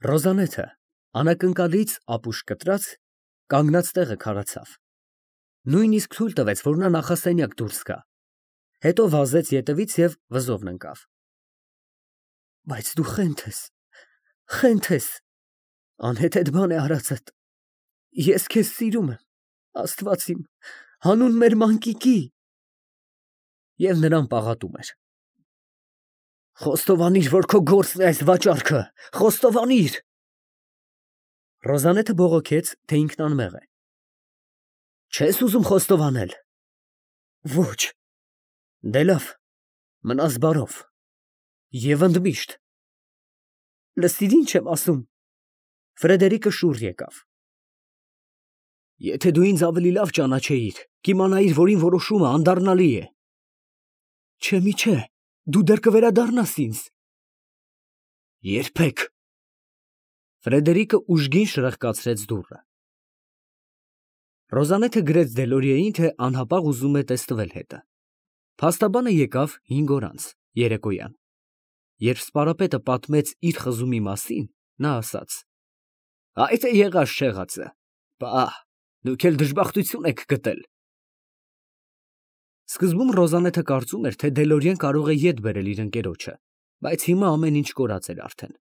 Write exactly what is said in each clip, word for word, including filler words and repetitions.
Ռոզանեթը անակնկալից ապուշ կտրած կանգնած տեղը քարացավ, նույնիսկ թույլ տվեց, որ նա նախասենյակ դուրս գա, հետո վազեց ետևից և վզովն ընկավ։ Բայց դու խենթ ես, խենթ ես, անհեթեթ բան է արածդ, ես քեզ սիրում եմ, Աստված իմ, հանուն մեր մանկիկի։ Եվ նրան պաղատում էր։ Խոստովանիր, որ քո գործն է այս վաճառքը, խոստովանիր։ Ռոզանեթը բողոքեց, թե ինքն անմեղ է։ Չես ուզում խոստովանել։ Ոչ։ Դե լավ, մնաս բարով։ Եվ ընդմիշտ։ Լսիր ինչ եմ ասում։ Ֆրեդերիկը շուռ եկավ։ Եթե դու ինձ ավելի լավ ճանաչեիր, կիմանայիր, որ իմ որոշումը անդառնալի է։ Չէ, մի չէ, դու դեռ կվերադառնաս ինձ։ Երբեք։ Ֆրեդերիկը ուժգին շրխկացրեց դուռը։ Ռոզանեթը գրեց Դելորիեին, թե անհապաղ ուզում է տեստվել հետը։ Փաստաբանը եկավ հինգ օր անց, երեկոյան։ Երբ սպարապետը պատմեց իր խզումի մասին, նա ասաց. Այդ է եղած չեղածը։ Պահ, դուք էլ դժբախտություն եք գտել։ Սկզբում Ռոզանեթը կարծում էր, թե Դելորիեն կարող է ետ բերել իր ընկերոջը, բայց հիմա ամեն ինչ կորած էր արդեն։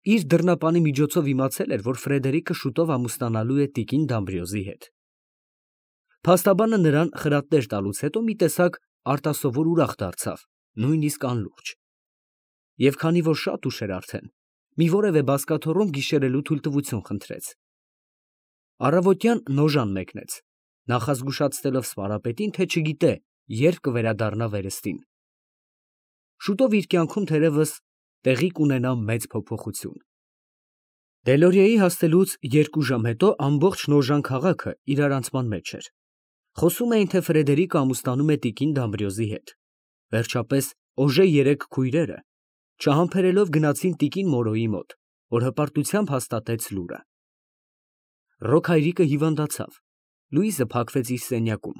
Իր դռնապանի միջոցով իմացել էր, որ Ֆրեդերիկը շուտով ամուսնանալու է տիկին Դամբրիոզի հետ։ Փաստաբանը նրան խրատներ տալուց հետո մի տեսակ արտասովոր ուրախ դարձավ, նույնիսկ անլուրջ։ Եվ քանի որ շատ ուշ էր արդեն, մի որևէ բազկաթոռում գիշերելու թույլտվություն խնդրեց։ Առավոտյան նոժան մեկնեց, նախազգուշացնելով սպարապետին, թե չգիտե, երբ կվերադառնա վերստին։ Շուտով իր կյանքում թերևս տեղի կունենա մեծ փոփոխություն։ Դելորիեի հասնելուց երկու ժամ հետո ամբողջ Նոժան քաղաքը իրարանցման մեջ էր։ Խոսում էին, թե Ֆրեդերիկը ամուսնանում է տիկին Դամբրիոզի հետ։ Վերջապես Օժե երեք քույրերը, չհամբերելով գնացին տիկին Մորոյի մոտ, որ հպարտությամբ հաստատեց լուրը։ Ռոք հայրիկը հիվանդացավ, Լուիզը փակվեց իր սենյակում,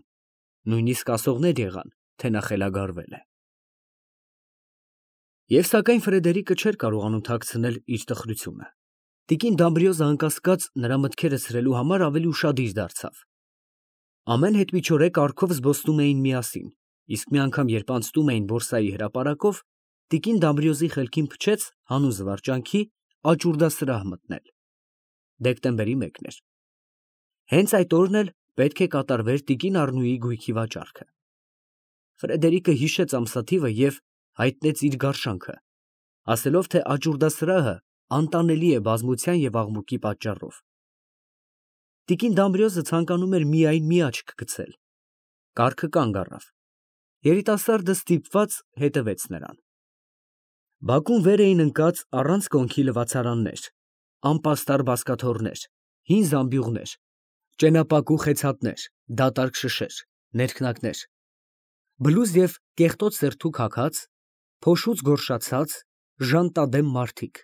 նույնիսկ ասողներ եղան, թե նա խելագարվել է։ Եվ սակայն Ֆրեդերիկը չէր կարողանում թաքցնել իր տխրությունը։ Տիկին Դամբրիոզը անկասկած նրա մտքերը ցրելու համար ավելի ուշադիր դարձավ։ Ամեն հետմիջօրե կառքով զբոսնում էին միասին, իսկ մի անգամ երբ անցնում էին բորսայի հրապարակով, տիկին Դամբրիոզի խելքին փչեց հանուն զվարճանքի աճուրդասրահ մտնել։ Դեկտեմբերի մեկն էր։ Հենց այդ օրն էլ պետք է կատարվեր տիկին Առնուի գույքի վաճառքը։ Ֆրեդերիկը հիշեց ամսաթիվը և հայտնեց իր գարշանքը, ասելով, թե աճուրդասրահը անտանելի է բազմության և աղմուկի պատճառով։ Տիկին Դամբրիոզը ցանկանում էր միայն մի աչք գցել։ Կառքը կանգ առավ։ Երիտասարդը ստիպված հետևեց նրան։ Բակում վեր էին ընկած առանց կոնքի լվացարաններ, անպաստառ բազկաթոռներ, հին զամբյուղներ, ճենապակու խեցաթներ, դատարկ շշեր, ներքնակներ, բլուզ և կեղտոտ սերթուք հագած, փոշուց գորշացած, ժանտադեմ մարդիկ,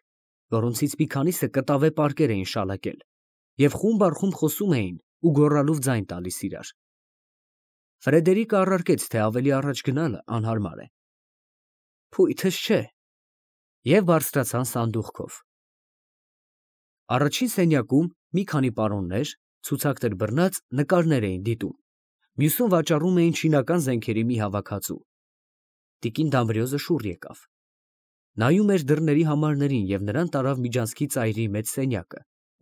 որոնցից մի քանիսը կտավե պարկեր էին շալակել և խումբ առ խումբ խոսում էին ու գոռալով ձայն տալիս իրար։ Ֆրեդերիկը առարկեց, թե ավելի առաջ գնալը անհարմար է։ Փույթս չէ։ Եվ բարձրացան սանդուղքով։ Առաջին սենյակում մի քանի պարոններ, ցուցակներ բռնած, նկարներ էին դիտում, մյուսում վաճառում էին չինական զենքերի մի հավաքածու։ Տիկին Դամբրիոզը շուռ եկավ։ Նայում էր դռների համարներին և նրան տարավ միջանցքի ծայրի մեծ սենյակը,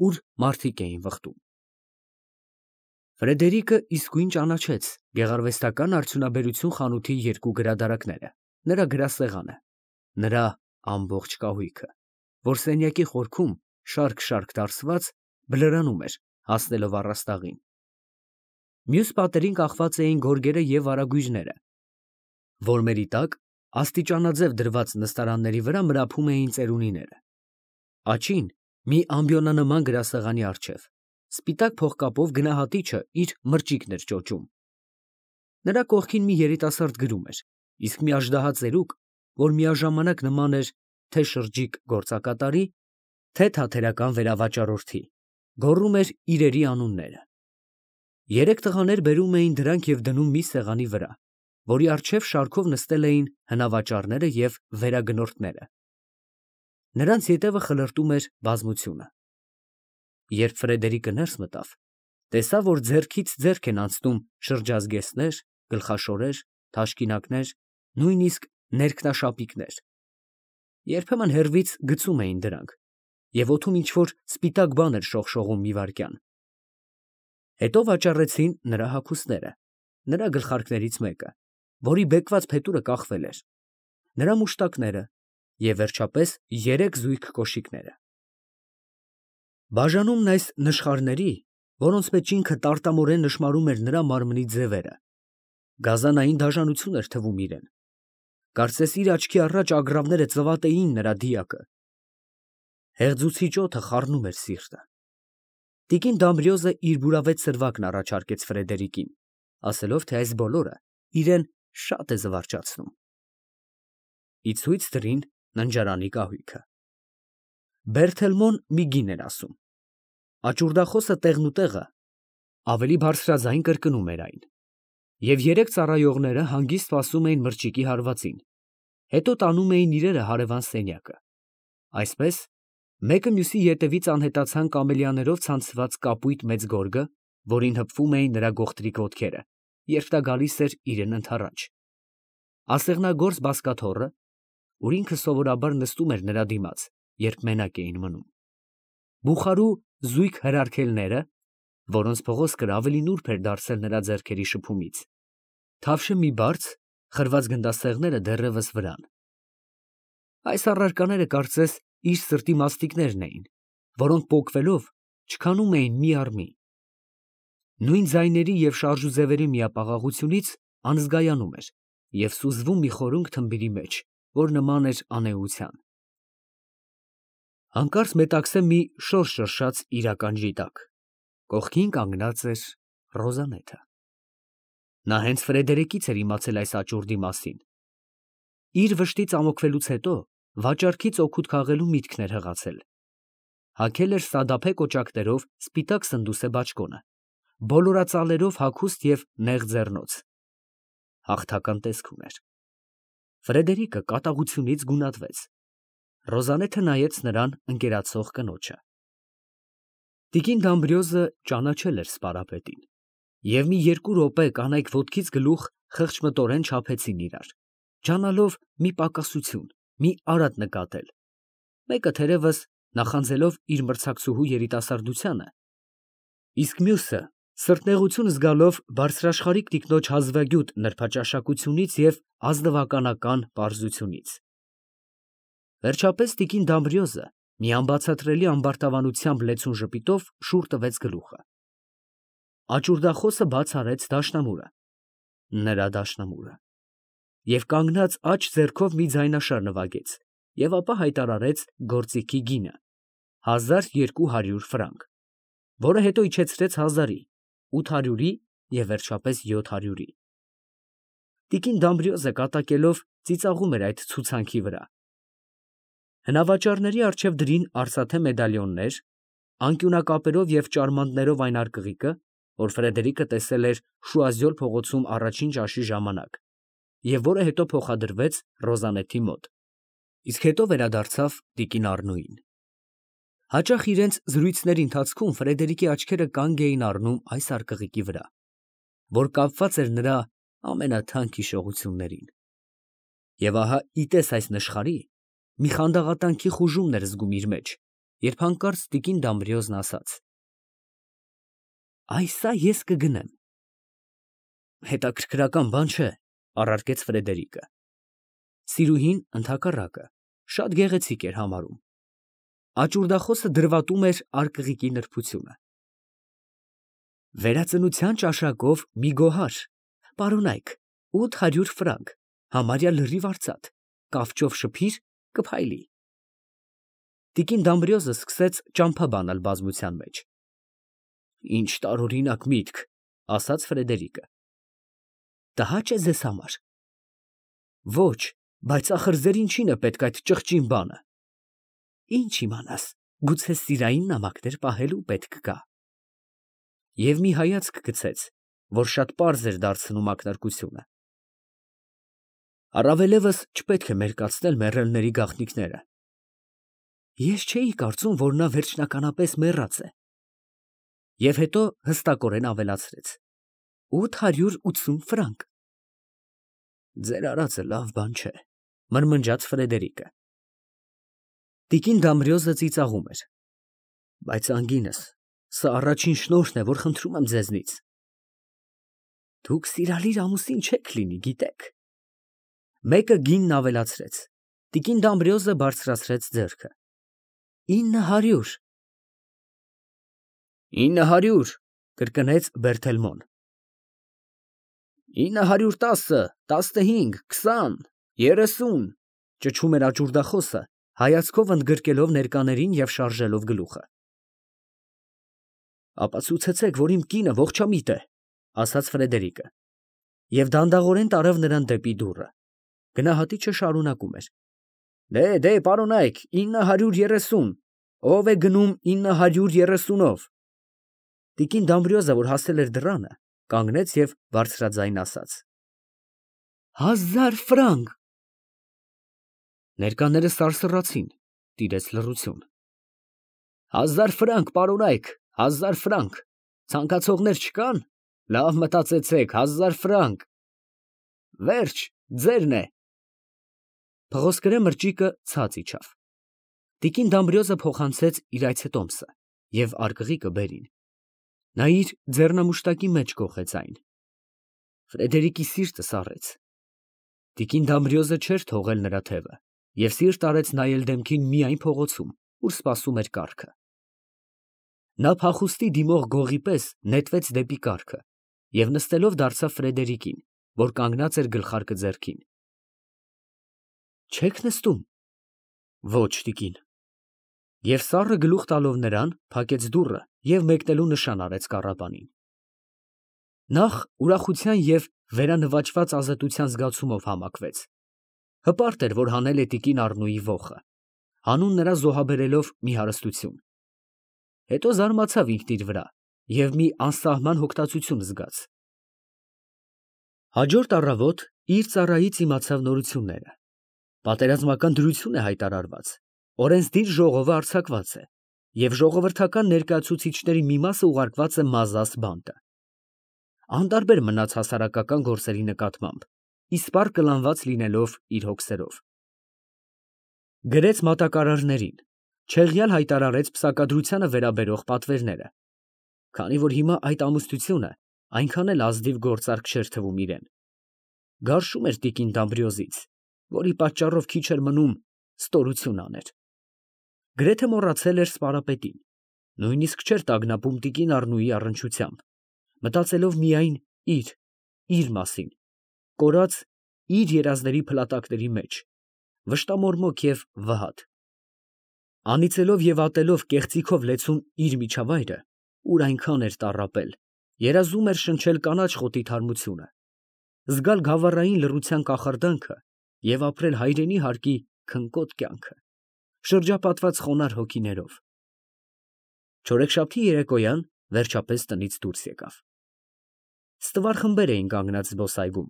ուր մարդիկ էին վխտում։ Ֆրեդերիկը իսկույն ճանաչեց գեղարվեստական արդյունաբերություն խանութի երկու գրադարանները, նրա գրասեղանը, նրա ամբողջ կահույքը, որ սենյակի խորքում շարք-շարք դարսված բլրանում էր, հասնելով առաստաղին։ Մյուս պատերին կախված էին գորգերը և վարագույրները, որմերի տակ աստիճանաձև դրված նստարանների վրա մրափում էին ծերունիները։ Աճին մի ամբիոնանման գրասեղանի առջև սպիտակ փողկապով գնահատիչը իր մրճիկն էր ճոճում։ Նրա կողքին մի երիտասարդ գրում էր, իսկ մի աժդահա ծերուկ, որ միաժամանակ նման էր թե շրջիկ գործակատարի, թե թատերական վերավաճառորդի, գոռում էր իրերի անունները։ Երեք տղաներ բերում էին դրանք և դնում մի սեղանի վրա, որի առջև շարքով նստել էին հնավաճառները և վերագնորդները։ Նրանց ետևը խլրտում էր բազմությունը։ Երբ Ֆրեդերիկը ներս մտավ, տեսավ, որ ձեռքից ձեռք են անցնում շրջազգեստներ, գլխաշորեր, թաշկինակներ, նույնիսկ ներքնաշապիկներ. երբեմն հեռվից գցում էին դրանք, և օդում ինչ֊որ սպիտակ բան էր շողշողում մի վայրկյան։ Հետո վաճառեցին նրա հագուստները, նրա գլխարկներից մեկը, որի բեկված փետուրը կախվել էր, նրա մուշտակները և վերջապես երեք զույգ կոշիկները։ Բաժանումն այս նշխարների, որոնց մեջ ինքը տարտամորեն նշմարում էր նրա մարմնի ձևերը, գազանային դաժանություն էր թվում իրան, կարծես իր աչքի առաջ ագռավները ծվատեին նրա դիակը։ Հեղձուցիչ օդը խառնում էր սիրտը։ Տիկին Դամբրիոզը իր բուրավետ սրվակն առաջարկեց Ֆրեդերիկին, ասելով, թե այս բոլորը իրան շատ է զվարճացնում։ Ի ցույց դրին ննջարանի կահույքը։ Բերթելմոն մի գին էր ասում։ Աճուրդախոսը տեղնուտեղը ավելի բարձրաձայն կրկնում էր այն, և երեք ծառայողները հանգիստ սպասում էին մրճիկի հարվածին, հետո տանում էին իրերը հարևան սենյակը։ Այսպես, մեկը մյուսի ետևից անհետացան կամելիաներով ցանցված կապույտ մեծ գորգը, որին հպվում էին նրա գողտրիկ ոտքերը, երբ նա գալիս էր իրան ընդառաջ, ասեղնագործ բազկաթոռը, որ ինքը սովորաբար նստում էր նրա դիմաց, երբ մենակ էին մնում, բուխարու զույգ հրարկելները, որոնց փղոսկրը ավելի նուրբ էր դարձել նրա ձեռքերի շփումից, թավշը մի բարձ, խրված գնդաստեղները դեռևս վրան։ Այս առարկաները կարծես իր սրտի մաստիկներն էին, որոնք պոկվելով չքանում էին մի առ մի։ Նույն ձայների և շարժուձևերի միապաղաղությունից անզգայանում էր և սուզվում մի խորունգ թմբիրի մեջ, որ նման էր անէության։ Հանկարծ մետաքսե մի շոր շրշաց իր ականջի տակ, կողքին կանգնած էր Ռոզալիան։ Նա հենց Ֆրեդերիկից էր իմացել այս աճուրդի մասին։ Իր վշտից ամոքվելուց հետո վաճառքից օգուտ քաղելու միտքն էր հղացել։ Հագել էր սադափե կոճակներով սպիտակ սնդուսե բաճկոնը, բոլորածալերով հագուստ և նեղ ձեռնոց։ Հաղթական տեսք ուներ։ Ֆրեդերիկը կատաղությունից գունատվեց։ Ռոզալիան նայեց նրան ընկերացող կնոջը։ Տիկին Դամբրիոզը ճանաչել էր սպարապետին, և մի երկու րոպե կանայք ոտքից գլուխ խղճմտորեն չափեցին իրար, ջանալով մի պակասություն, մի արատ նկատել, մեկը թերևս նախանձելով իր մրցակցուհու երիտասարդությանը, իսկ մյուսը սրտնեղություն զգալով բարձրաշխարհիկ տիկնոջ հազվագյուտ նրբաճաշակությունից և ազնվականական պարզությունից։ Վերջապես տիկին Դամբրիոզը մի անբացատրելի ամբարտավանությամբ լեցուն ժպիտով շուռ տվեց գլուխը։ Աճուրդախոսը բաց արեց դաշնամուրը, նրա դաշնամուրը, և կանգնած աջ ձեռքով մի ձայնաշար նվագեց և ապա հայտարարեց գործիքի գինը՝ հազար երկու հարյուր ֆրանկ, որը հետո իջեցրեց հազարի, ութ հարյուրի և վերջապես յոթ հարյուրի։ Տիկին Դամբրիոզը կատակելով ծիծաղում էր այդ ցուցանքի վրա։ Հնավաճառների առջև դրին արծաթե մեդալիոններ, անկյունակապերով և ճարմանտներով այն արկղիկը, որ Ֆրեդերիկը տեսել էր Շուազյոլ փողոցում առաջին ճաշի ժամանակ և որը հետո փոխադրվեց Ռոզալիայի մոտ, իսկ հետո վերադարձավ տիկին Առնոյին։ Հաճախ իրենց զրույցների ընթացքում Ֆրեդերիկի աչքերը կանգ էին առնում այս արկղիկի վրա, որ կապված էր նրա ամենաթանկ հիշողություններին։ Եվ ահա ի տես այս նշխարի, մի խանդաղատանքի խուժումն էր զգում իր մեջ, երբ հանկարծ տիկին Դամբրիոզն ասաց. «Այս ա ես կգնեմ»։ Հետաքրքրական բան չէ, առարկեց Ֆրեդերիկը։ Սիրուհին, ընդհակառակը, շատ գեղեցիկ էր համարում։ Աճուրդախոսը դրվատում էր արկղիկի նրբությունը։ Վերածնության ճաշակով մի գոհար, պարոնայք, ութ հարյուր ֆրանկ, համարյա լրիվ արծաթ, կավճով շփիր, կփայլի։ Տիկին Դամբրիոզը սկսեց ճամփա բանալ բազմության մեջ։ Ինչ տարօրինակ միտք, ասաց Ֆրեդերիկը։ Տհաճ է ձեզ համար։ Ոչ, բայց ախր ձեր ինչին է պետք այդ ճղճին բանը։ Ինչ իմանաս, գուցե սիրային նամակներ պահելու պետք կա։ Եվ մի հայացք գցեց, որ շատ պարզ էր դարձնում ակնարկությունը։ Առավելևս չպետք է մերկացնել մեռելների գաղտնիքները։ Ես չէի կարծում, որ նա վերջնականապես մեռած է։ Եվ հետո հստակորեն ավելացրեց. ութ հարյուր ութսուն ֆրանկ։ Ձեր արածը լավ բան չէ, մրմնջաց Ֆրեդերիկը։ Տիկին Դամբրիոզը ծիծաղում էր. Բայց անգինս, սա առաջին շնորհն է, որ խնդրում եմ ձեզնից։ Դուք սիրալիր ամուսին չեք լինի, գիտեք։ Մեկը գինն ավելացրեց։ Տիկին Դամբրիոզը բարձրացրեց ձեռքը. ինը հարյուր։ ինը հարյուր, կրկնեց Բերթելմոն։ ինը հարյուր տասը, տասնհինգ, քսան, երեսուն, ճչում էր աճուրդախոսը, հայացքով ընդգրկելով ներկաներին և շարժելով գլուխը։ Ապացուցեցեք, որ իմ կինը ողջամիտ է, ասաց Ֆրեդերիկը, և դանդաղորեն տարավ նրան դեպի դուռը։ Գնահատիչը շարունակում էր. Դե, դե, պարոնայք, ինը հարյուր երեսուն, ով է գնում ինը հարյուր երեսունով։ Տիկին Դամբրիոզը, որ հասել էր դռանը, կանգնեց և բարձրաձայն ասաց. Հազար ֆրանկ։ Ներկաները սարսռացին, տիրեց լռություն։ Հազար ֆրանկ, պարոնայք, հազար ֆրանկ, ցանկացողներ չկան, լավ մտածեցեք, հազար ֆրանկ։ Վերջ, ձերն է։ Փղոսկրե մրճիկը ցած իջավ։ Տիկին Դամբրիոզը փոխանցեց իր այցետոմսը և արկղիկը բերին։ Նա իր ձեռնամուշտակի մեջ կոխեց այն։ Ֆրեդերիկի սիրտը սառեց։ Տիկին Դամբրիոզը չէր թողել նրա թևը և սիրտ արեց նայել դեմքին միայն փողոցում, ուր սպասում էր կառքը։ Նա փախուստի դիմող գողի պես նետվեց դեպի կառքը և նստելով դարձավ Ֆրեդերիկին, որ կանգնած էր գլխարկը ձեռքին։ Չե՞ք նստում։ Ոչ, տիկին։ Եվ սառը գլուխ տալով նրան, փակեց դուռը և մեկնելու նշան արեց կառապանին։ Նախ ուրախության և վերանվաճված ազատության զգացումով համակվեց։ Հպարտ էր, որ հանել է տիկին Առնուի ոխը, հանուն նրա զոհաբերելով մի հարստություն։ Հետո զարմացավ ինքն իր վրա և մի անսահման հոգտածություն զգաց։ Հաջորդ առավոտ իր ծառայից իմացավ նորությունները։ Պատերազմական դրություն է հայտարարված, օրենսդիր ժողովը արձակված է, և ժողովրդական ներկայացուցիչների մի մասը ուղարկված է Մազաս բանտը։ Անտարբեր մնաց հասարակական գործերի նկատմամբ, իսպառ կլանված լինելով իր հոգսերով։ Գրեց մատակարարներին, չեղյալ հայտարարեց պսակադրությանը վերաբերող պատվերները, քանի որ հիմա այդ ամուսնությունը այնքան էլ ազնիվ գործարք չէր թվում իրեն։ Գարշում էր տիկին Դամբրիոզից, որի պատճառով քիչ էր մնում ստորություն աներ։ Գրեթե մոռացել էր սպարապետին, նույնիսկ չէր տագնապում տիկին Առնուի առնչությամբ, մտածելով միայն իր, իր մասին, կորած իր երազների փլատակների մեջ, վշտամորմոք և վհատ։ Անիծելով և ատելով կեղծիքով լեցուն իր միջավայրը, ուր այնքան էր տառապել, երազում էր շնչել կանաչ խոտի թարմությունը, զգալ գավառային լռության կախարդանքը և ապրել հայրենի հարկի քնկոտ կյանքը, շրջապատված խոնարհ հոգիներով։ Չորեքշաբթի երեկոյան վերջապես տնից դուրս եկավ։ Ստվար խմբեր էին կանգնած զբոսայգում։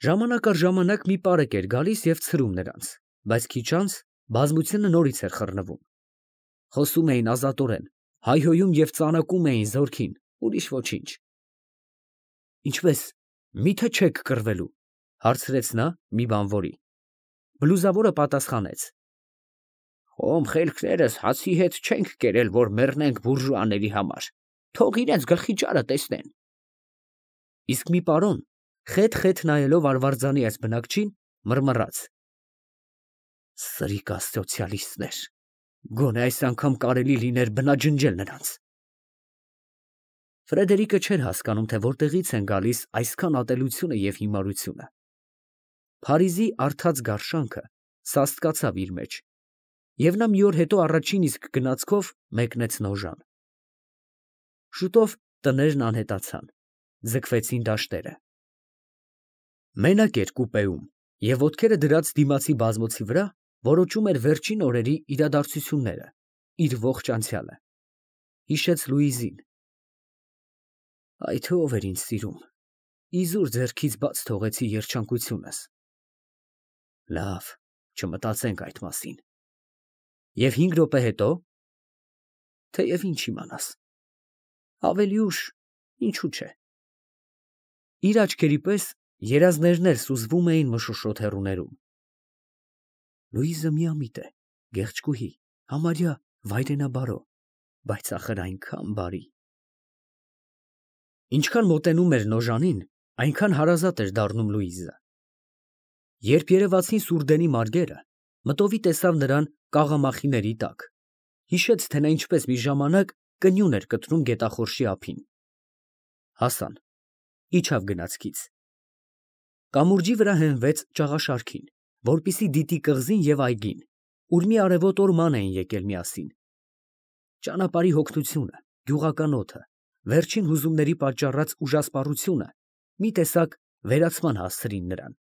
Ժամանակ առ ժամանակ մի պարեկ էր գալիս և ցրում նրանց, բայց քիչ անց բազմությունը նորից էր խռնվում։ Խոսում էին ազատորեն, հայհոյում և ծանակում էին զորքին, ուրիշ ոչինչ։ Ինչպե՞ս, մի՞թե չեք կռվելու, հարցրեց նա մի բանվորի։ Բլուզավորը պատասխանեց. Խոմ խելքներս հացի հետ չենք կերել, որ մեռնենք բուրժուաների համար, թող իրենց գլխի ճարը տեսնեն։ Իսկ մի պարոն, խետ֊խետ նայելով արվարձանի այս բնակչին, մռմռաց. Սրիկա սոցիալիստներ, գոնե այս անգամ կարելի լիներ բնաջնջել նրանց։ Ֆրեդերիկը չէր հասկանում, թե որտեղից են գալիս այսքան ատելությունը և հիմարությունը։ Փարիզի արդած գարշանքը սաստկացավ իր մեջ, և նա մի օր հետո առաջին իսկ գնացքով մեկնեց Նոժան։ Շուտով տներն անհետացան, ձգվեցին դաշտերը։ Մենակ էր կուպեում և ոտքերը դրած դիմացի բազմոցի վրա որոճում էր վերջին օրերի իրադարձությունները, իր ողջ անցյալը։ Հիշեց Լուիզին։ Այ թե ով էր ինձ սիրում, իզուր ձեռքից բաց թողեցի երջանկությունս։ Լավ, չմտածենք այդ մասին։ Եվ հինգ րոպե հետո, թեև ինչ իմանաս, ավելի ուշ, ինչու՞ չէ։ Իր աչքերի պես երազներն էլ սուզվում էին մշուշոտ հեռուներում։ Լուիզը միամիտ է, գեղեցկուհի, համարյա վայրենաբարո, բայց ախր այնքան բարի։ Ինչքան մոտենում էր Նոժանին, այնքան հարազատ էր դառնում Լուիզը։ Երբ երևացին Սուրդենի մարգերը, մտովի տեսավ նրան կաղամախիների տակ, հիշեց, թե նա ինչպես մի ժամանակ կնյուն էր կտրում գետախորշի ափին։ Հասան, իջավ գնացքից։ Կամուրջի վրա հենվեց ճաղաշարքին, որպեսզի դիտի կղզին և այգին, ուր մի արևոտ օրման էին եկել միասին։ Ճանապարհի հոգնությունը, գյուղական օդը, վերջին հուզումների պատճառած ուժասպառությունը մի տեսակ վերացման հասցրին նրան,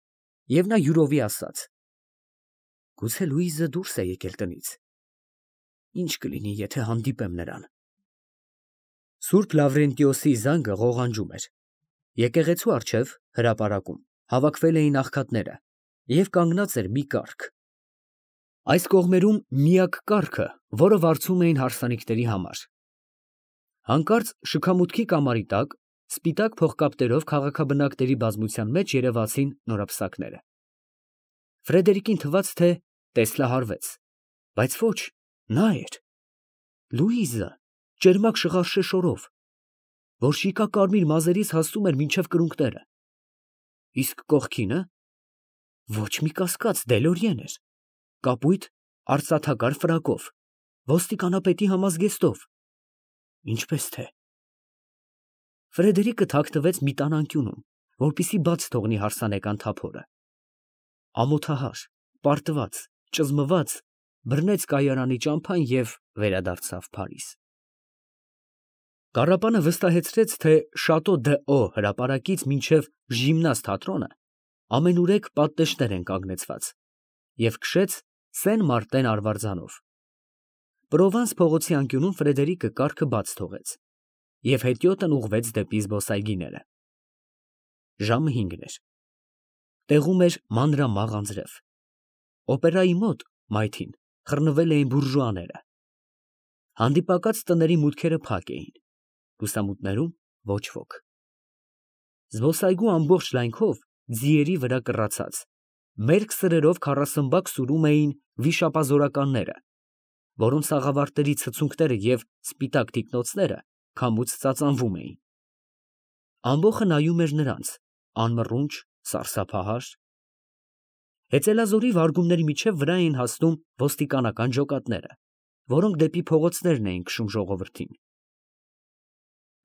և նա յուրովի ասաց. «Գուցե Լուիզը դուրս է եկել տնից։ Ինչ կլինի, եթե հանդիպեմ նրան»։ Սուրբ Լավրենտիոսի զանգը ղողանջում էր։ Եկեղեցու առջև, հրապարակում, հավաքվել էին աղքատները, և կանգնած էր մի կառք։ Այս կողմերում միակ կառքը, որը վարձում էին հարսանիքների համար։ Հանկարծ շքամուտքի կամարի տակ, սպիտակ փողկապտերով քաղաքաբնակների բազմության մեջ երևացին նորապսակները։ Ֆրեդերիկին թվաց, թե տեսլահարվեց, բայց ոչ, նա էր, Լուիզը, ճերմակ շղարշե շորով, որ շիկակարմիր մազերից հասնում էր մինչև կրունկները։ Իսկ կողքինը ոչ մի կասկած Դելորիեն էր, կապույտ արծաթակար ֆրակով, ոստիկանապետի համազգեստով, ինչպես թե… Ֆրեդերիկը թաքնվեց մի տան անկյունում, որպեսզի բաց թողնի հարսանեկան թափորը։ Ամոթահար, պարտված, ճզմված, բռնեց կայարանի ճամփան և վերադարձավ Փարիզ։ Կառապանը վստահեցրեց, թե Շատո դ'Ո հրապարակից մինչև Ժիմնազ թատրոնը ամենուրեք պատնեշներ են կանգնեցված, և քշեց Սեն Մարտեն արվարձանով։ Պրովանս փողոցի անկյունում Ֆրեդերիկը կառքը բաց թողեց և հետիոտն ուղղվեց դեպի զբոսայգիները։ Ժամը հինգն էր։ Տեղում էր մանրամաղ անձրև։ Օպերայի մոտ, մայթին, խռնվել էին բուրժուաները։ Հանդիպակաց տների մուտքերը փակ էին, լուսամուտներում ոչ ոք։ Զբոսայգու ամբողջ լայնքով, ձիերի վրա կռացած, մերկ սրերով քառասմբակ սուրում էին վիշապազորականները, որոնց աղավարտների ցցունքները և սպիտակ թիկնոցները քամուց ծածանվում էին։ Ամբոխը նայում էր նրանց, անմռունչ, սարսափահար։ Հեծելազորի վարգումների միջև վրա էին հասնում ոստիկանական ջոկատները, որոնք դեպի փողոցներն էին քշում ժողովրդին։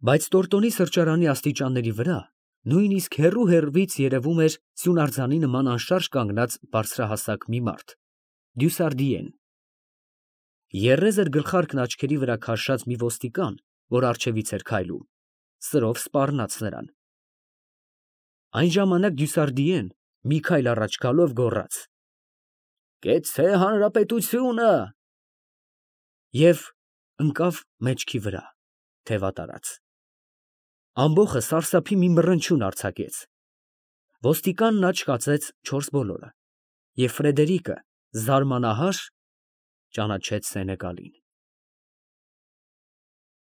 Բայց Տորտոնի սրճարանի աստիճանների վրա նույնիսկ հեռու֊հեռվից երևում էր սյունարձանի նման անշարժ կանգնած բարձրահասակ մի մարդ՝ Դյուսարդիեն։ Եռեզր գլխարկն աչքերի վրա քաշած մի ոստիկան, որ առջևից էր քայլում, սրով սպառնաց նրան։ Այն ժամանակ Դյուսարդիեն, մի քայլ առաջ գալով, գոռաց. «Կեցցե հանրապետությունը» և ընկավ մեջքի վրա, թևատարած։ Ամբոխը սարսափի մի մռնչյուն արձակեց։ Ոստիկանն աչք կացեց չորս բոլորը, և Ֆրեդերիկը, զարմանահար, ճանաչեց Սենեգալին։